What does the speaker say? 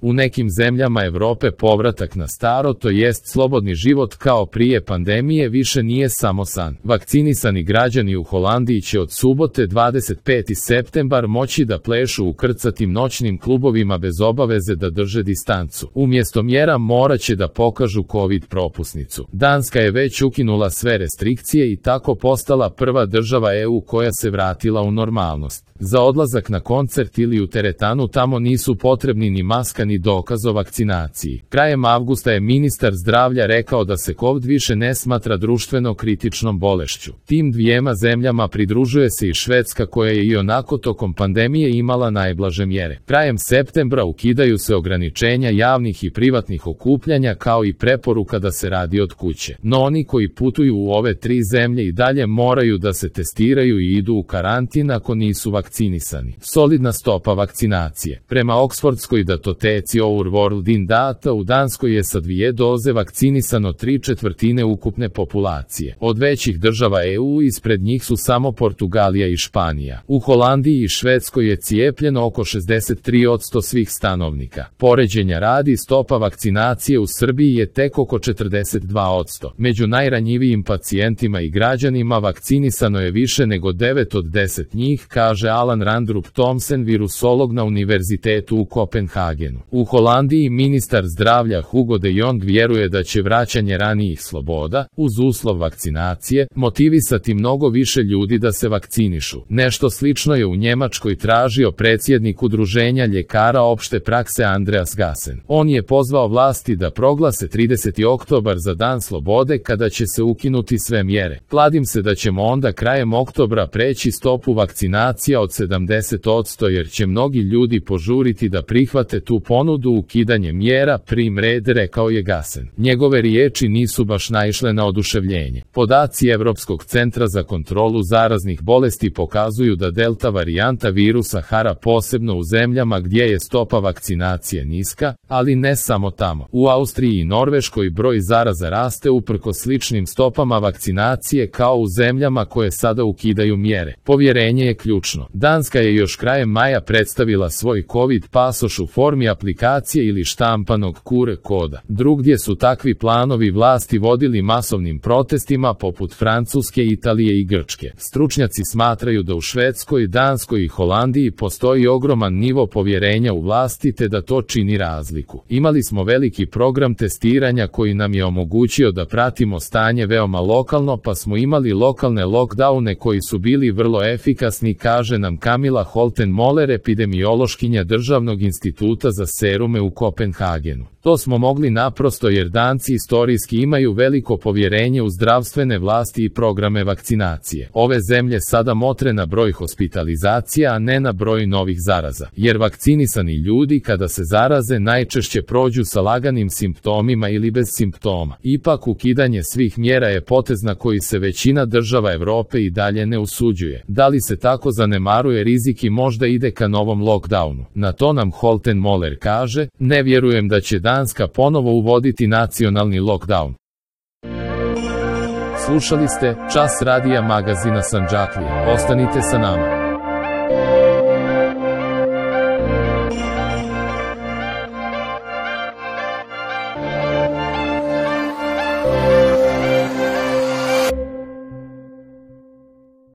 U nekim zemljama Evrope povratak na staro, to jest slobodni život kao prije pandemije, više nije samo san. Vakcinisani građani u Holandiji će od subote 25. septembar moći da plešu u krcatim noćnim klubovima bez obaveze da drže distancu. Umjesto mjera morat će da pokažu COVID propusnicu. Danska je već ukinula sve restrikcije i tako postala prva država EU koja se vratila u normalnost. Za odlazak na koncert ili u teretanu tamo nisu potrebni ni maska ni dokaz o vakcinaciji. Krajem avgusta je ministar zdravlja rekao da se COVID više ne smatra društveno kritičnom bolešću. Tim dvijema zemljama pridružuje se i Švedska koja je i onako tokom pandemije imala najblaže mjere. Krajem septembra ukidaju se ograničenja javnih i privatnih okupljanja kao i preporuka da se radi od kuće. No oni koji putuju u ove tri zemlje i dalje moraju da se testiraju i idu u karantin ako nisu vakcinisani. Solidna stopa vakcinacije. Prema Oksfordskoj datoteci Our World in Data u Danskoj je sa 2 doze vakcinisano 3/4 ukupne populacije. Od većih država EU ispred njih su samo Portugalija i Španija. U Holandiji i Švedskoj je cijepljeno oko 63% svih stanovnika. Poređenja radi, stopa vakcinacije u Srbiji je tek oko 42%. Među najranjivijim pacijentima i građanima vakcinisano je više nego 9 od 10 njih, kaže Alan Randrup Thomsen, virusolog na Univerzitetu u Kopenhagenu. U Holandiji ministar zdravlja Hugo de Jong vjeruje da će vraćanje ranijih sloboda, uz uslov vakcinacije, motivisati mnogo više ljudi da se vakcinišu. Nešto slično je u Njemačkoj tražio predsjednik Udruženja ljekara opšte prakse Andreas Gassen. On je pozvao vlasti da proglase 30. oktobar za dan slobode kada će se ukinuti sve mjere. Kladim se da ćemo onda krajem oktobra preći stopu vakcinacija od 70% jer će mnogi ljudi požuriti da prihvate tu ponudu ukidanje mjera prim red, rekao je Gassen. Njegove riječi nisu baš naišle na oduševljenje. Podaci Europskog centra za kontrolu zaraznih bolesti pokazuju da delta varijanta virusa hara posebno u zemljama gdje je stopa vakcinacije niska, ali ne samo tamo. U Austriji i Norveškoj broj zaraza raste uprkos sličnim stopama vakcinacije kao u zemljama koje sada ukidaju mjere. Povjerenje je ključno. Danska je još krajem maja predstavila svoj COVID pasoš u formi aplikacije ili štampanog QR koda. Drugdje su takvi planovi vlasti vodili masovnim protestima poput Francuske, Italije i Grčke. Stručnjaci smatraju da u Švedskoj, Danskoj i Holandiji postoji ogroman nivo povjerenja u vlasti te da to čini razliku. Imali smo veliki program testiranja koji nam je omogućio da pratimo stanje veoma lokalno, pa smo imali lokalne lockdowne koji su bili vrlo efikasni, kaže nam Camilla Holten Moller, epidemiološkinja Državnog instituta za serume u Kopenhagenu. To smo mogli naprosto jer Danci istorijski imaju veliko povjerenje u zdravstvene vlasti i programe vakcinacije. Ove zemlje sada motre na broj hospitalizacija, a ne na broj novih zaraza. Jer vakcinisani ljudi kada se zaraze najčešće prođu sa laganim simptomima ili bez simptoma. Ipak ukidanje svih mjera je potez na koji se većina država Evrope i dalje ne usuđuje. Da li se tako zanemaruje rizik i možda ide ka novom lockdownu? Na to nam Holten Moller kaže, ne vjerujem da će Danska ponovo uvoditi nacionalni lockdown. Slušali ste Čas radija magazina Sandžaklije. Ostanite sa nama.